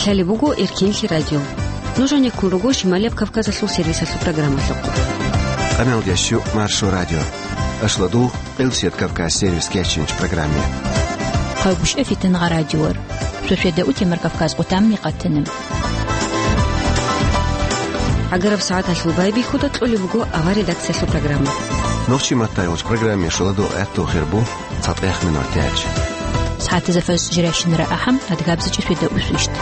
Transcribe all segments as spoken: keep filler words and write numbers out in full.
Гьале буго Эркенлъи радио. Нуж гьанеккун руго Шималияб Кавказалъул сервисалъул программалъухъ. Къамел ящу Маршо радио. Ашладул Къилсият Кавказ сервис кечинч программе. Хъагуш эфитан гъа радиор. Шошеда утемар Кавказ къутамни къатанам. Агараб сагӀаталъул байбихьуда кьолеб буго авар редакциялъул программа. Нохчи маттайолч программе шуладу гӀатту хирбу. ЦатӀех минут тяч. СагӀатазда фаз жирайщинара ахӀам, адгабзачӀи шведа усвищт.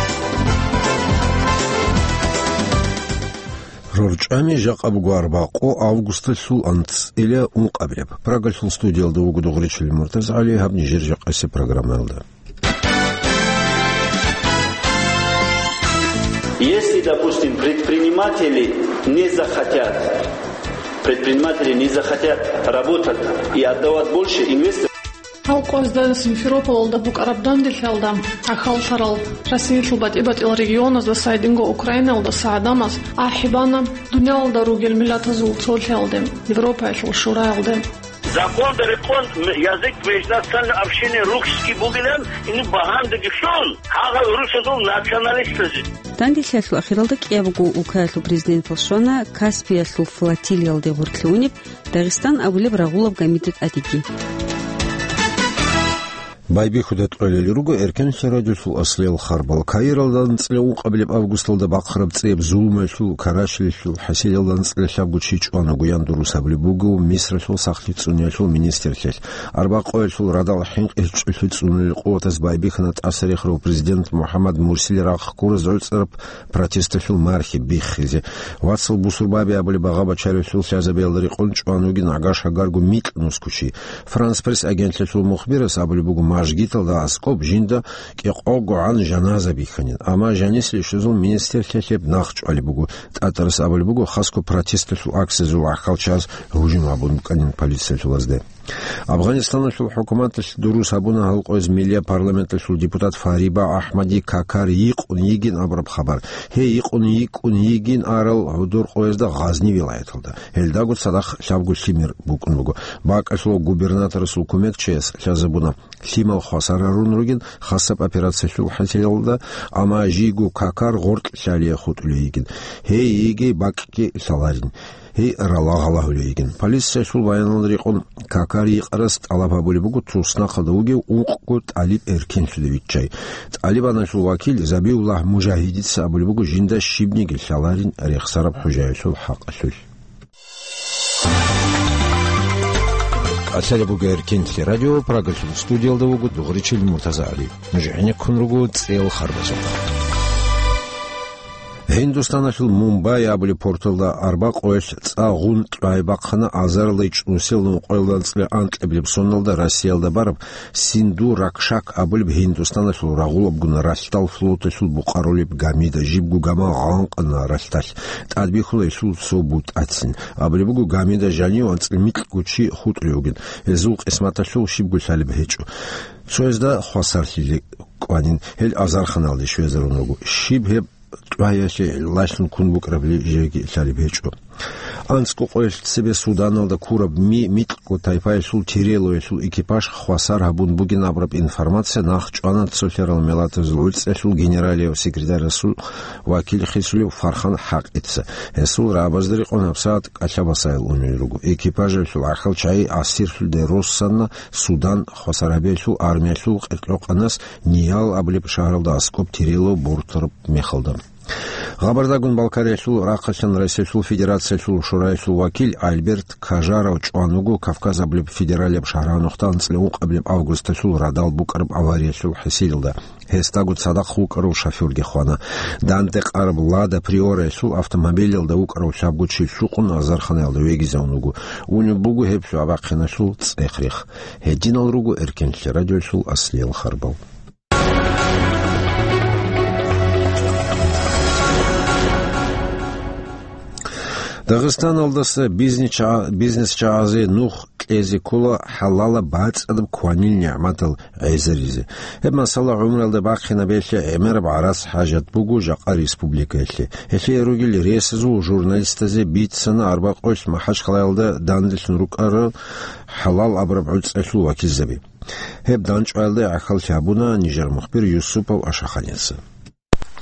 РорчӀами жакъа буго арбакъо августалъул анцӀила ункъабилеб. Прагалъул студиялда вуго Дугъричил МуртазгӀали, гьаб нижер жакъасе программаялда. Если, допустим, предприниматели не захотят, предприниматели не захотят работать и отдавать больше инвесторам. Гьал къоязда Симферополалда букӀараб данделъиялда гӀахьаллъарал Россиялъул батӀи-батӀиял регионаздаса гьединго Украинаялдаса гӀадамаз ахӀи бана дуниялалда ругел миллатазул цолъиялде, Европаялъул шураялде. Законда рекъон язык межнациональной общины русский бугилан, ин багьандаги лъун, гьагъал русазул националистлъазе. Данделъиялъул ахиралда кӀиябго улкаялъул президентал щвана Каспиялъул флотилиялде гъоркьлъунеб Дагъистан абулеб рагъулаб гамида тӀадеги. Байбихьуда кьолел руго Эркенлъи радиолъул аслиял харбал. Каиралда анцӀила ункъабилеб августалда бахъараб цӀияб зулмуялъул, карачилелъул хӀасилалда анцӀила лъабго чи чӀванаго яндурус абулеб буго Мисралъул сахлъи цӀуниялъул министрлъиялъ. Арбакъоялъул радал хӀинкъи чӀулъи цӀунулел къуватаз байбихьана тӀасарихарав президент МухӀаммад Мурсили рахъ ккураз гӀуцӀараб протесталъул мархи биххизе. Вацал Бусурбаби абулеб агъа бачаревлъул лъазабиялда рекъон чӀван вугин гӀагаш гьагарго микь нусгучи. Франс Пресс агентлъиялъул мухбирас абулеб буго, мажгиталда аскӀоб жинда кӀикъого гӀан жаназа бихьанин. Амма жанис лишазул министрлъиялъе нах чӀвалеб буго. ТӀатарас абулеб буго, хасго протесталъул акциязул гӀахьалчияз гьужум гьабун букӀанин полициялъулазде. Афганистаналъул хӀукуматалъ дурус гьабуна гьал къояз миллияб парламенталъул депутат Фариба Ахмади Какар йикъун йигин абураб хабар. Гьей йикъун йикӀун йигин арал гӀодор къоязда Гъазни вилаяталда. Гьелдаго цадахъ лъабго лъимер букӀун буго. БакӀалъула губернаторасул кумекчияс лъазабуна, лъимал хвасар гьарун ругин хасаб операциялъул хӀасилалда, амма жийго Какар гъоркь лъалие хутӀулей йигин. Гьей йигей бакӀги лъаларин. Гьей ралагъалагьулей йигин. Полициялъул баяналда рекъон Какар йикъарас тӀалаб гьабулеб буго туснахъалда вугев ункъго тӀалиб эркенлъуде виччай. ТӀалибаналъул вакил Забиуллагь Мужагьидица абулеб буго жинда щибниги лъаларин рехсараб хӀужаялъул хӀакъалъулъ. Лъалеб буго Эркенлъи радио, Прагалъул студиялда вуго Дугъричил МуртазагӀали. Нуж гӀенеккун руго цӀел харбазухъ. Гьиндустаналъул Мумбай абулеб порталда арбакъоялъ цӀа гъун кьвай бахъана азарилай чӀунусел нукъоялда анцӀила анкьабилеб соналда Россиялда бараб Синду Ракшак абулеб Гьиндустаналъул рагъулабгун ралъдал флоталъул букъарулеб гамида. Жибго гама гъанкъана ралъдалъ. ТӀадбихьула гьелъул цо бутӀацин. Абулеб буго, гамида жанив анцӀила микьго чи хутӀулев вугин. Гьезул къисматалъул щибго лъалеб гьечӀо. Цоязда хвасарлъи кӀванин, гьел азарханалде щвезарун руго. Щиб гьеб кьваялъе лъалъун ккун букӀарабли жеги лъалеб гьечӀо. АнцӀго къоялъ цебе Суданалда ккураб ми микьго тайпаялъул Тирелоялъул экипаж хвасар гьабун бугин абураб информация нахъ чӀвана цолъарал миллатазул гӀуцӀиялъул генералияв секретарасул вакил хисулев Фархан ХӀакъица. Гьесул рагӀабазда рекъон гьабсагӀат кӀалъабасайил унел руго. Экипажалъул гӀахьал чагӀи асирлъуде руссана Судан хвасар гьабиялъул армиялъул къеркьокъанас Ниял абулеб шагьаралда аскӀоб Тирело бортараб мехалда. Хабардагун Балкариялъул рахъалъан Россиялъул Федерациялъул Шураялъул вакил Альберт Кажаров чӀван вуго Кавказ абулеб федералияб шагьаргьанухъда анцӀила ункъабилеб августалъул радал букӀараб авариялъул хӀасилалда. Гьесдаго цадахъ вукӀарав шофёрги хвана. Данде къараб Лада Приораялъул автомобилалда вукӀарав лъабго чи лъукъун азарханаялда вегизавун вуго. Унеб буго гьеб лъугӀа-бахъиналъул цӀех-рех. Гьединал руго Эркенлъи радиоялъул аслиял харбал. Дагъистаналдаса бизнес ча-, бизнес чагӀазе нух кьезе ккола хӀалалаб бацӀцӀадаб кванил нигӀматал гӀезаризе. Гьеб масала гӀумруялда бахъинаб гьелъе гӀемераб гӀарац хӀажат буго жакъа республикаялъе. Гьелъие ругел ресазул журналистазе бицана арбакъоялъ МахӀачхъалаялда данделъун рукӀарал хӀалал абураб гӀуцӀиялъул вакилзаби. Гьеб дандчӀваялда гӀахьаллъи гьабуна нижер мухбир Юсупов Ашаханица.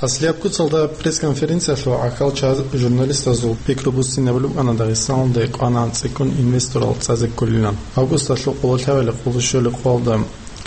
Аслияб куцалда пресс-конференциялъул гӀахьалчагӀаз журналистазул пикру буссинабулеб букӀана Дагъистаналде кӀванагӀан цӀикӀкӀун инвесторал цӀазе кколилан. Августалъул къоло лъабали къоло щолеб къоялда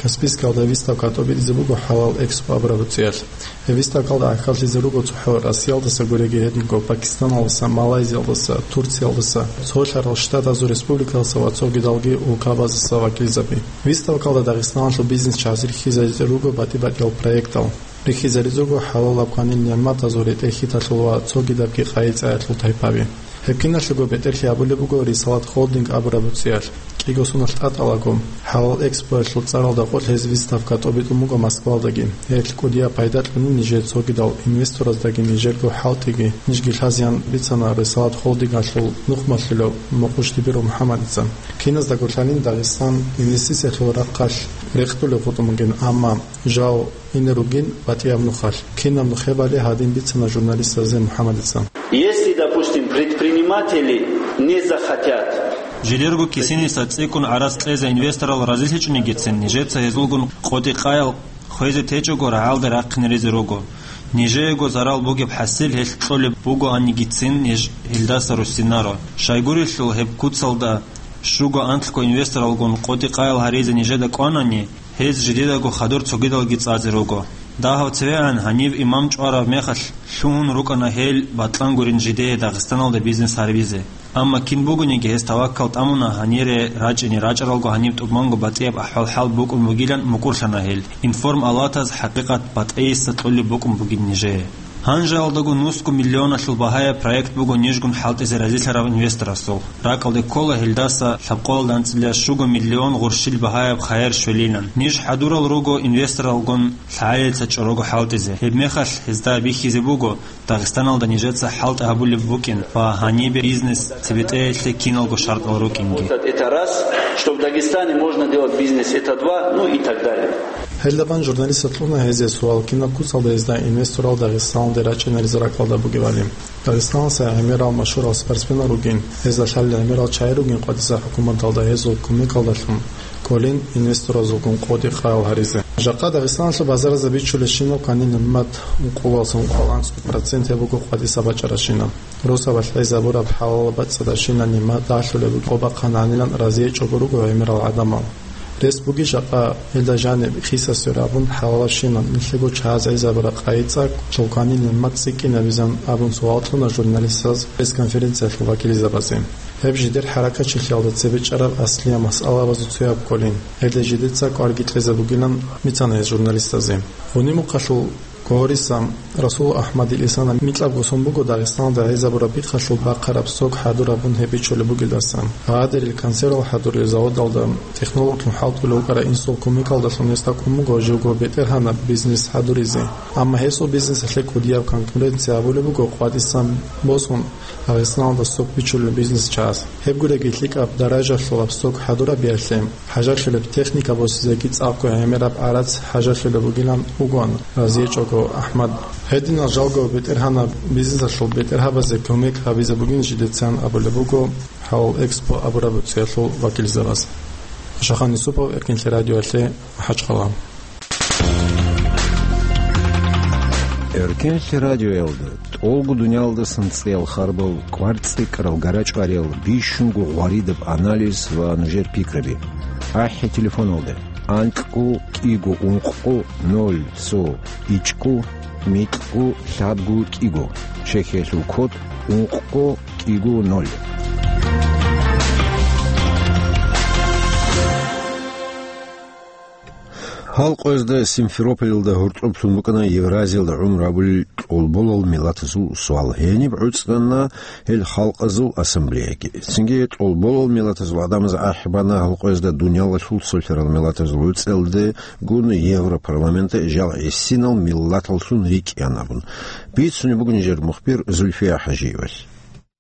Каспийскалда выставка тӀобитӀизе буго «ХӀалал Экспо» абураб цӀиялъ. Гьеб выставкалда гӀахьаллъизе руго цохӀо Россиялдаса гуреги гьединго Пакистаналдаса, Малайзиялдаса, Турциялдаса, Цолъарал Штатазул Республикаялдаса ва цогидалги улкабаздаса вакилзаби. Выставкалда Дагъистаналъул бизнесчагӀаз рихьизаризе руго батӀи-батӀиял проектал. Рихьизаризе руго хӀалалаб кванил нигӀматазул ретӀел-хьиталъул ва цогидабги къайи-цӀаялъул тайпаби. Гьеб киналъего бетӀерлъи гьабулеб буго «Рисалат Холдинг» абураб цӀиялъ. КӀиго соналъ тӀатӀалаго, «ХӀалал Экспо»ялъул цӀаралда къо лъезе выставка тӀобитӀун буго Москвалдаги. Гьелъ кӀудияб пайда кьуна нижее цогидал инвестораздаги нижерго хӀалтӀиги, нижги лъазеян бицана «Рисалат Холдингалъул» нухмалъулав Мукъуш Дибиров МухӀаммадица. Киназдаго лъалин Дагъистан инвестициялъул рахъалъ рекъдулеб гъутӀун бугин, амма жал ине ругин батӀияб нухалъ. Кинаб нухебали гьадин бицана журналистазе МухӀаммадица. Если, допустим, предприниматели не захотят. Жидерго кисиниса цӀикӀкӀун гӀарац кьезе инвесторал разилъичӀонигицин, нижеца гьезулгун къотӀи-къаял хвезе течӀого рагӀалде рахъинаризе руго. Нижеего зарал бугеб хӀасил гьелъ кьолеб бугоанигицин, ниж гьелдаса руссинаро. Щайгурелъул гьеб куцалда щуго-анлъго инвесторалгун къотӀи-къаял гьаризе нижеда кӀванани, гьез жидедаго хадур цогидалги цӀазе руго. Дагьав цевегӀан гьанив имам чӀвараб мехалъ лъугьун рукӀана гьел бакьан гурин жидее Дагъистаналда бизнес гьарбизе. Амма кин бугониги гьес таваккал тӀамуна гьанире рачӀине, рачӀаралго гьаниб тӀубанго батӀияб ахӀвал-хӀал букӀун бугилан мукӀурлъана гьел. Информалатаз хӀакъикъат батӀейиса кьолеб букӀун бугин нижее. Гьанжеялдаго нусго миллионалъул багьаяб проект буго нижгун хӀалтӀизе разилъарав инвесторасул. РакӀалде ккола гьелдаса лъабкъоялда анцӀила щуго миллион гъурщил багьаяб хайир щвелилан. Ниж хӀадурал руго инвесторалгун лъагӀалица чӀорого хӀалтӀизе. Гьебмехалъ гьезда бихьизе буго Дагъистаналда нижеца хӀалтӀи гьабулеб букӀин ва гьанибе бизнес цебетӀеялъе киналго шартӀал рукӀинги. Вот это раз, что в Дагестане можно делать бизнес, это два, ну и так далее. Гьелдабан журналистас кьуна гьезие суал, кинаб куцалда гьезда инвесторал Дагъистаналде рачӀинаризе ракӀалда бугебали. Дагъистаналдаса гӀемерал машгьурал спортсменал ругин, гьезда лъалел гӀемерал чагӀи ругин къватӀиса хӀукуматалда гьезул кумекалдалъун кколин инвесторазулгун къотӀи-къаял гьаризе. Жакъа Дагъистаналъул базаразда бичулебщинаб кванил нигӀмат ункъоялдаса ункъоялда анцӀго процент гьеб буго къватӀиса бачӀарабщинаб. Росабалъ гӀезабураб хӀалалаб бацӀцӀадабщинаб нигӀмат дагьлъулеб буго, гьеб бахъана гьанилан разие чӀого руго гӀемерал гӀадамал. Рес бугищ жакъа гьелда жаниб хисасире абун хӀалалабщинаб нилъего чагӀаз гӀезабураб къайи-цӀакъ, цо кванил нигӀмат цӀикӀкӀинабизан абун суал кьуна журналистаз пресс-конференциялъул вакилзабазе. Гьеб жидер хӀаракатчилъиялда цебе чӀараб аслияб масъалабазул цояб кколин, гьелда жидеца кӀварги кьезе бугилан бицана гьез журналистазе. Гъуни-мухъалъул Гъориса Расул Ахмадил Исана микьабго сон буго Дагъистаналда гӀезабураб бихъалъул бахъараб сок хӀадур гьабун гьеб бичулеб бугелдасан. Гьадерил консервал хӀадурил заводалда технологлъун хӀалтӀулев вукӀарав инсул кумекалдалъун гьесда кӀун буго живго бетӀергьанаб бизнес хӀадуризе. Амма гьесул бизнесалъе кӀудияб конкуренция гьабулеб буго къватӀисан босун Дагъистаналда сок бичулел бизнесчагӀаз. Гьеб гуреги лъикӀаб даражалъулаб сок хӀадурабиялъе, хӀажалъулеб техника босизеги цӀакъго гӀемераб гӀарац хӀажалъулеб бугилан вугоан разиечӀого Ахмад. Гьединал жалго бетӀергьанаб бизнесалъул бетӀергьабазе кумек гьабизе бугин жидецан абулеб буго «ХӀалал Экспо» абураб цӀиялъул вакилзабаз. Шахан Юсупов, Эркинлъи радиоялъе, МахӀачхъала. Эркинлъи радиоялда тӀолго дуниялдасан цӀиял харбал, кӀвар цӀикӀкӀарал, гара чӀвариял бищунго гъваридаб анализ ва нужер пикраби. АхӀи телефоналда: анкьго кӀиго ункъго ноль цо ичӀго микьго лъабго кӀиго. Чехиялъул код: ункъго кӀиго ноль. Гьал къоязда Симферополалда гьоркьоблъун букӀана Евразиялда гӀумру гьабулел тӀолболал миллатазул суал. Гьениб гӀуцӀана гьел халкъазул ассамблеяги. Цинги тӀолболал миллатазул гӀадамаз ахӀи бана гьал къоязда дуниялалъул цолъарал миллатазул гӀуцӀиялдегун Европарламенталъ жал гӀисинал миллаталлъун рикӀкӀинаан абун. Бицунеб буго нижер мухбир Зульфия ХӀажиевалъ.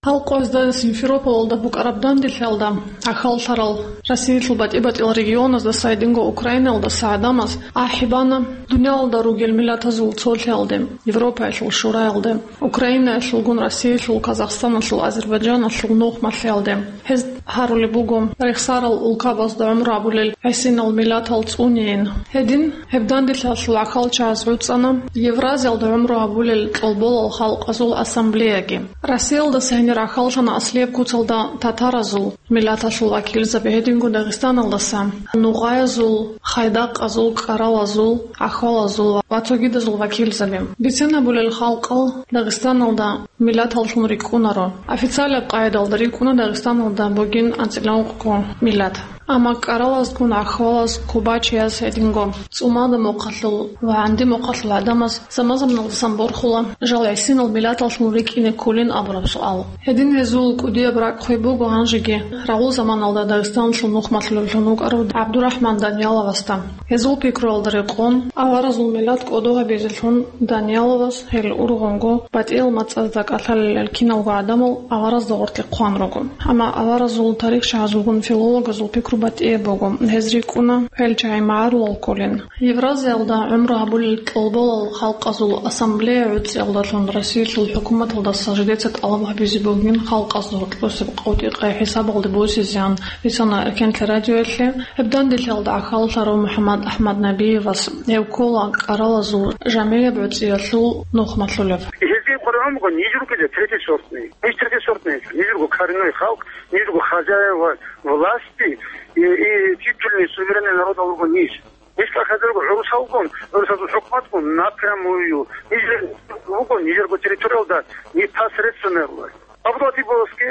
Гьал къоязда Симферополалда букӀараб данделъиялда гӀахьаллъарал Россиялъул батӀи-батӀиял регионаздаса гьединго Украинаялдаса гӀадамаз ахӀи бана дуниялалда ругел миллатазул цолъиялде, Европаялъул шураялде, Украинаялъулгун, Россиялъул, Казахстаналъул, Азербайджаналъул нухмалъиялде. Гьез гьарулеб буго, рехсарал улкабазда гӀумру гьабулел гӀисинал миллатал цӀунейин. Гьедин, гьеб данделъиялъул гӀахьалчагӀаз гӀуцӀана Евразиялда гӀумру гьабулел кьолболал халкъазул ассамблеяги. Россиялдаса гьенир гӀахьаллъана аслияб куцалда татаразул миллаталъул вакилзаби, гьединго Дагъистаналдаса нугъаязул, хайдакъазул, кӀаралазул, гӀахьалазул ва цогидазул вакилзаби. Бицен гьабулел халкъал Дагъистаналда миллаталлъун рикӀкӀунаро. Официалаб къайдалда рикӀкӀуна Дагъистаналда бугин анцӀила ункъго миллат. Амма кӀаралазгун гӀахьалаз, кубачияз гьединго цӀумада мухъалъул ва гӀанди мухъалъул гӀадамаз заман-заманалдасан борхула жал гӀисинал миллаталлъун рикӀкӀине кколин абураб суал. Гьедин гьезул кӀудияб ракӀ хвей буго гьанжеги рагъул заманалда Дагъистаналъул нухмалъулевлъун вукӀарав ГӀабдурахӀман Данияловасда. Гьезул пикруялда рекъон, аваразул миллат кӀодо гьабизелъун Данияловас гьел ургъунго батӀиял мацӀазда кӀалъалел киналго гӀадамал аваразда гъоркье хъван руго. Амма аваразул тарихчагӀазулгун филологазул пикру батӀияб буго, гьез рикӀкӀуна гьел чагӀи магӀарулал кколин. Евразиялда гӀумру гьабулел кьолболал халкъазул ассамблея гӀуцӀиялдалъун Россиялъул хӀукуматалдаса жидеца тӀалаб гьабизе бугин халкъазда гьоркьосеб къотӀи-къай хӀисабалде босизеян бицана Эркенлъи радиоялъе. Гьеб данделъиялда гӀахьаллъарав МухӀаммад АхӀмад Набиевас, гьев ккола кӀаралазул жамгӀияб гӀуцӀиялъул нухмалъулев. Гьезие къваригӀун буго ниж ругел третий сортный. Ниж третий сортный, ниж руго коренной халкъ, ниж руго хозяева власти и, и титульный суверенный народал руго ниж. Ниж кӀалъазе руго гӀурусалгун, гӀурусазул хӀукуматгун напрямую. Нижер руго нижерго территориялда непосредственная власть. Абдулатиповасги,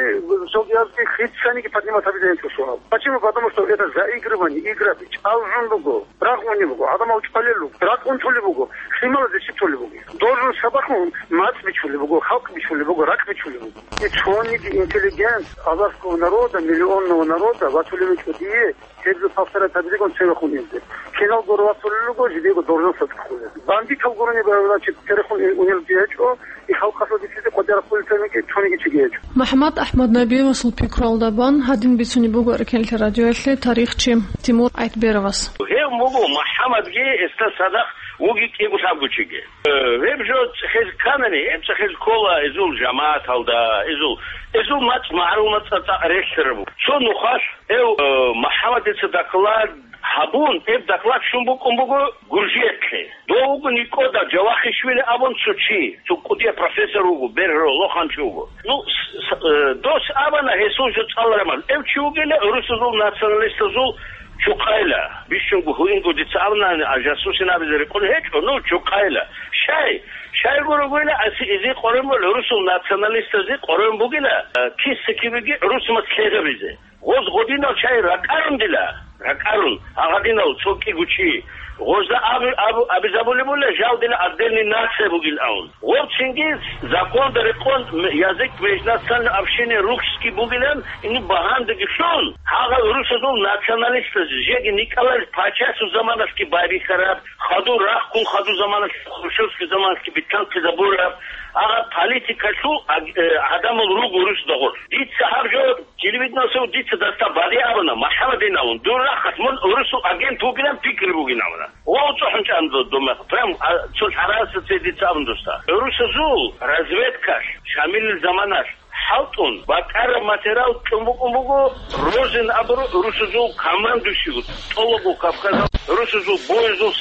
Шалдиязги хицаниги поднимать гьабизе гьечӀо суал. Почему? Потому что это заигрывание, игра, чӀалгӀун буго, рагъунеб буго, гӀадамал чӀвалел руго, ракӀ унтулеб буго, лъималазе щиб толеб буго. Должен сабахун мацӀ бичулеб буго, халкъ бичулеб буго, ракӀ бичулеб буго. И цониги интеллигент азарского народа, миллионного народа ватулеб гьечӀо дие, гьеб жо повторять гьабизегун церехун инзе. Киналго рацулел руго, жидего должен садхулел. Бандитал гурони, значит, церехун ин-, унел дие гьечӀо, и халкъалъул бицизе къватӀира хъулел цониги, цониги чиги гьечӀо. МухӀаммад АхӀмад Набиевасул пикруялда бан гьадин бицунеб буго Эркенлъи радиоялъе тарихчи Тимур Айтберовас. Гьев буго МухӀаммадги, гьесда цадахъ вуги кӀиго лъабго чиги. Э, гьеб жо цӀехез кканани, гьеб цӀехез ккола эзул жамагӀаталда, эзул, эзул мацӀ магӀарул мацӀа цӀакъ релълъараб. Цо нухалъ гьев, э, МухӀаммадица доклад гьабун, гьеб доклад щун букӀун буго Гуржиялъе. Дов вуго НикӀкӀода Жавахишвили абун цо чи, цо кӀудияб профессор вуго, бергьро, лоханчи вуго. Ну, с-, с-, э, дос абана гьесул жо цӀалараман. Гьев чи вугила гӀурусазул националистазул чухъайила. Бищунго гьуинго дица абунани, а жасусин абизе рекъон гьечӀо, ну, чухъайила. Щай? Щайгурелъул аси изи къорен бугила гӀурусул националистазе къорен бугила, э, киса-кибеги гӀурусмас лъегьабизе. Гъоз гъодинал чагӀи ракӀарун дила, ракӀарун, а гъадинал цо кӀиго чи. Гъозда абу-, абу-, абизабулеб була, жал дила отдельный нация бугин абун. Гъов цинги законда рекъон м-, язык межнациональной общины русский бугилан, ину багьандаги лъун, гьагъал русазул националистаз жеги никӀалал пачасул заманалъги байбихьараб, хадур рахъун хадур заманалъ, хрущевский заманалъги битӀанлъизабураб, гьагъал политикалъул аг-, э, гӀадамал руго русдагъур. Дица гьаб жо телевидениялъул дица дасда бадиб абуна, МухӀаммадин абун, дур рахъалъ мун гӀурусул агент вугилан пикри бугин абуна. Ва цӀухӀун чӀан ду-, дума, прям, а, цо лъараса цей дица абун досда. ГӀурусазул разведкалъ, Шамилил заманалъ хӀалтӀун, бакӀараб материал кьун букӀун буго, Розин абуру гӀурусазул командующий, тӀолого Кавказал гӀурусазул боязул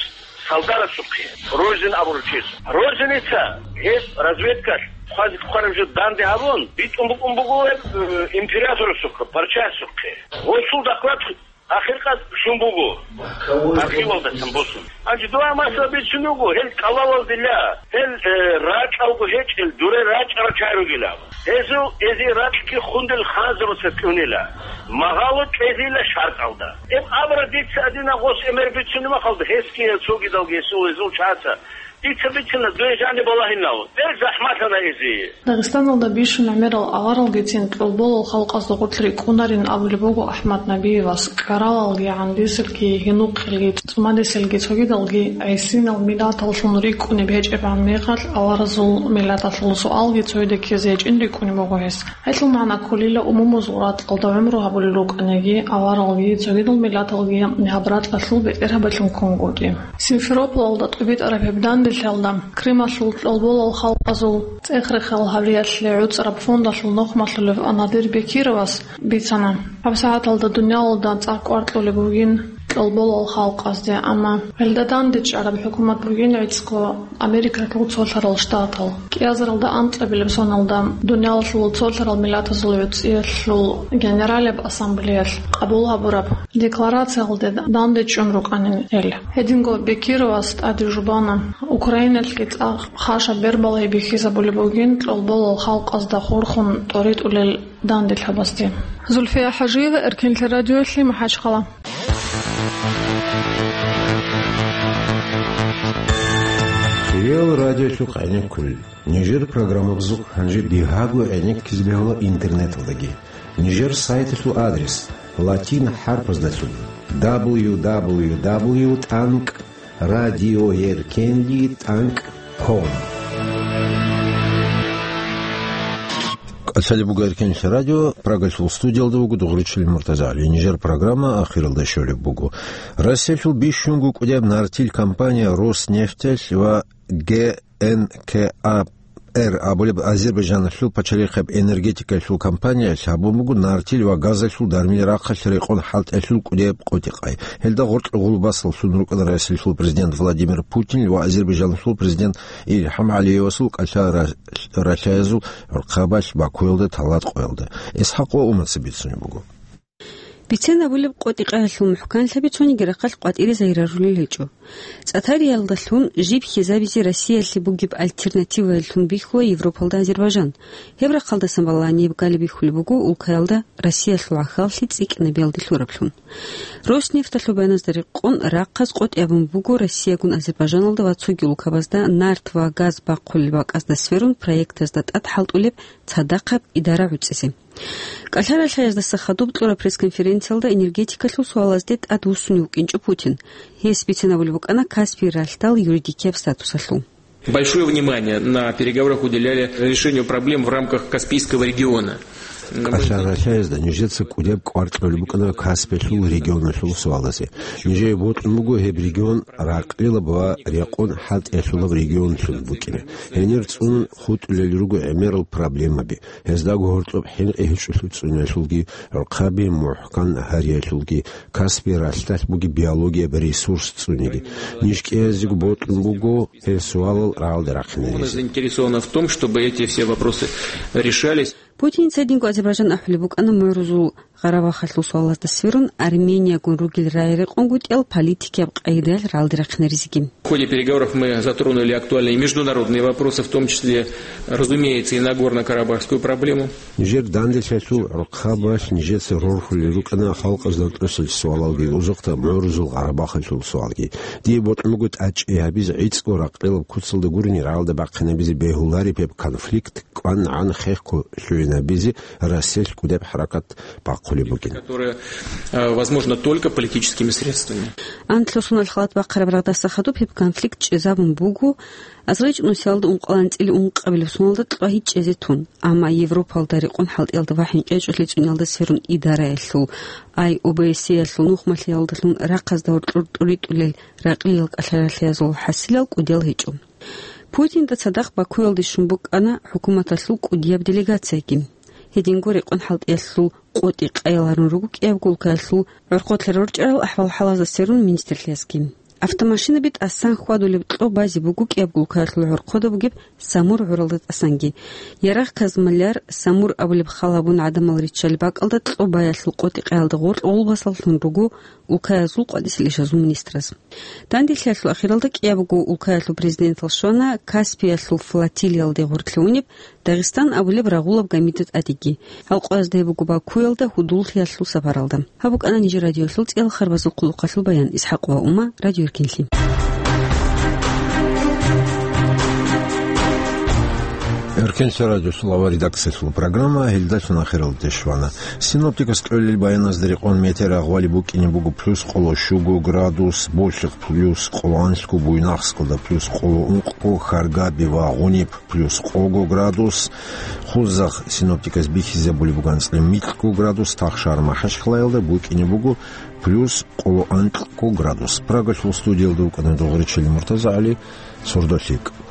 салдарасухъе, Розин абуру чияс. Розиница гьеб разведкалъ хъвазе хъвараб жо данде гьабун, битӀун букӀун буго гьеб, э, императорасухъе, пачасухъе. Гъосул доклад ахиркъад щун буго. Архивалдасан босун. Гьанже дугьа масала бицун вуго, гьел кӀалалалдила, гьел, э, ракьалго гьечӀел, дуре рачӀарал чагӀи ругила. Гьезул эзи ракьги хундел ханзабаца кьунила. Магъало кьезила шартӀалда. Гьеб абра дица адина гъос эмер бицунеб махалда, гьесги цогидалги гьесул гьезул чагӀаца. Дица бицина дуе жаниб балагьинав. Гьел захӀмалъана эзи. Дагъистаналда бищун гӀемерал аваралгицин кьолболал халкъазда гъорлъ рикӀкӀунарин абулеб буго АхӀмад Набиевас. КӀаралалги, гӀандисилги, гьинухъелги, цӀумадисилги, цогидалги гӀисинал миллаталлъун рикӀкӀунеб гьечӀебгӀан мехалъ аваразул миллаталъул суалги цояда ккезе гьечӀин рикӀкӀунеб буго гьес. Гьелъул магӀна кколила умумузул ракьалда гӀумру гьабулел рукӀаниги, аваралги, цогидал миллаталги гьаб ракьалъул бетӀергьабилъун ккунгутӀи. Симферопольалда тӀубитӀараб гьеб дандеги Лъалда Крымалъул кьолболал халкъазул цӀех-рехал гьавриялъе гӀуцӀараб фондалъул нухмалъулев Анадир Бекировас бицана, гьабсагӀаталда дуниялалда цӀакъ кӀвар кьолеб бугин кьолболал халкъазде, амма гьелда дандечӀараб хӀукумат бугин гӀицӀго Америкалъул цолъарал штатал. КӀиазаралда анкьабилеб соналда дуниялалъул цолъарал миллатазул гӀуцӀиялъул Генералеб ассамблеялъ къабул гьабураб декларациялде дандечӀун рукӀанин гьел. Гьединго Бекировас тӀаде жубана, Украиналъги цӀакъ хъаша бербалай бихьизабулеб бугин кьолболал халкъазда хурхун тӀоритӀулел данделъабазде. Зульфия ХӀажиева, Эркенлъи радиоялъе, МахӀачхъала. Реал радиолъухъ гӀенеккулел. Нижер программабазухъ гьанже бигьаго гӀенеккизе бегьула интернеталдаги. Нижер сайталъул адрес латин хӀарпаздалъун: дабл ю дабл ю дабл ю тӀанкӀ радиоеркенлъи тӀанкӀ ком. КӀалъалеб буго Эркенлъи радио, Прагалъул студиялда вуго Дугъричилин МуртазагӀали. Нижер программа ахиралда щолеб буго. Россиялъул бищунго кӀудияб нартил компания Роснефтьалъ ва Г Н К А Р абулеб Азербайжаналъул пачалихъаб энергетикалъул компаниялъ гьабун буго нартил ва газалъул дармил рахъалъ рекъон хӀалтӀиялъул кӀудияб къотӀи-къай. Гьелда гъоркье гъулбасаллъун рукӀана Россиялъул президент Владимир Путин ва Азербайжаналъул президент Илгьам ГӀалиевасул кӀалъа ра-, ралъаязул гӀурхъабалъ Бакуялда тӀалаб къоялда. ИсхӀакъ ва Умаца бицунеб буго. Бицен абулеб къотӀи-къаялъул мухӀканлъаби цониги рахъалъ къватӀире загьирарулел гьечӀо. ЦӀатариялдалъун жиб хьизабизе Россиялъе бугеб альтернативаялъун бихьула Европалда Азербайжан. Гьеб рахъалдасан балагьаниб галеб бихьулеб буго улкаялда Россиялъул гӀахьаллъи цӀикӀкӀинабиялде лъураблъун. Роснефталъул баяназда рекъон, рахъаз къотӀи абун буго Россиягун Азербайжаналда ва цоги улкабазда нарт ва газ бахъулел бакӀазда сверун проектазда тӀад хӀалтӀулеб цадахъаб идара гӀуцӀизе. КӀалъа ралъаяздаса хадуб кьураб пресс-конференциялда энергетикалъул суалазде тӀадвуссунев вукӀинчӀо Путин. Гьес бицен абулеб букӀана Каспий ралъдал юридикияб статусалъул. Большое внимание на переговорах уделяли решению проблем в рамках Каспийского региона. КӀалъа ралъаязда нижеца кӀудияб кӀвар кьолеб букӀана Каспиялъул регионалъул суалазе. Нижее бокьун буго гьеб регион ракълилаб ва рекъон хӀалтӀиялъулаб регионлъун букӀине. Гьенир цӀунун хутӀулел руго гӀемерал проблемаби. Гьездаго гьоркьоб хӀинкъи гьечӀолъи цӀуниялъулги, гӀурхъаби мухӀкан гьариялъулги, Каспий ралъдалъ бугеб биологияб ресурс цӀуниги. Ниж кӀиязего бокьун буго гьел суалал рагӀалде рахъинаризе. Заинтересована в том, чтобы эти все вопросы решались. Путин цадинго Азербайжан ахӀулеб букӀана мугӀрузул Къарабахалъул суалазда сверун Армениягун ругел рагӀи рекъонгутӀиял политикияб къагӀидаялъ рагӀалде рахъинаризеги. В ходе переговоров мы затронули актуальные международные вопросы, в том числе, разумеется, и Нагорно-Карабахскую проблему. Нижер данделъиялъул гӀурхъабалъ нижеца рорхулел рукӀана халкъазда тӀасал суалалги, узухъда мугӀрузул Къарабахалъул суалги. Дие бокьун буго тӀадчӀей гьабизе гӀицӀго ракълилаб куцалда гурони рагӀалда бахъинабизе бегьулареб гьеб конфликт кӀванагӀан хехго лъугӀинабизе Россиялъ кӀудеб хӀаракат бахъулеб бугин. Которая, э, возможна только политическими средствами. Анлъго соналъ халат бахъараб рагъдаса хадуб гьеб конфликт чӀезабун буго азарилчӀунусиялда ункъоялда анцӀила ункъабилеб соналда кьвагьи чӀезе тун. Амма Европалда рекъон хӀалтӀиялда ва хӀинкъичӀолъи цӀуниялда сверун идараялъул, ай О Б С Е-ялъул нухмалъиялдалъун рахъазда гьоркьор тӀуритӀулел ракълиял кӀалъаралъиязул хӀасилал кӀудиял гьечӀо. Путинда цадахъ Бакуялде щун букӀана хӀукуматалъул кӀудияб делегацияги. Гьединго рекъон хӀалтӀиялъул къотӀи къайиларун руго кӀиябго улкаялъул гӀорхъолъа рорчӀарал ахӀвал-хӀалазда сверун министрлъиязги. Автомашинаби тӀасан хьвадулеб кьо базе буго кӀиябго улкаялъул гӀорхъода бугеб Самур гӀуралда тӀасанги. Ярагъ Казмалляр, Самур абулеб хал гьабун гӀадамал риччалеб бакӀалда кьо баялъул къотӀи къайилда гъоркь гъулбасаллъун руго улкаязул къватӀисел ишазул министраз. Данделъиялъул ахиралда кӀиябго улкаялъул президентал щвана Каспиялъул флотилиялде гъоркьлъи унеб Дагъистан абулеб рагъулаб гамида тӀадеги. Гьал къоязда гьеб буго Бакуялда гьудуллъиялъул сапаралда. Гьаб букӀана нижер радиоялъул цӀиял харбазул хъулухъалъул баян. ИсхӀакъ ва Ума, Радио Эркенлъи. Эркенлъи радиосул авар редакциялъул программа гьелдалъун ахиралде щвана. Синоптикас кьолел баяназда рекъон метеорагъвали букӀине буго плюс къоло щуго градус, Болъихъ плюс къоло анлъго, Буйнакскалда плюс къоло ункъго, Харгаби ва Гъуниб плюс къого градус, Хузахъ синоптикас бихьизабулеб буго анцӀила микьго градус, Тахшар МахӀачхъалаялда букӀине буго плюс къоло анкьго градус. Прагалъул студиялда вукӀана Дугъричилин МуртазагӀали. сордолъикӀ.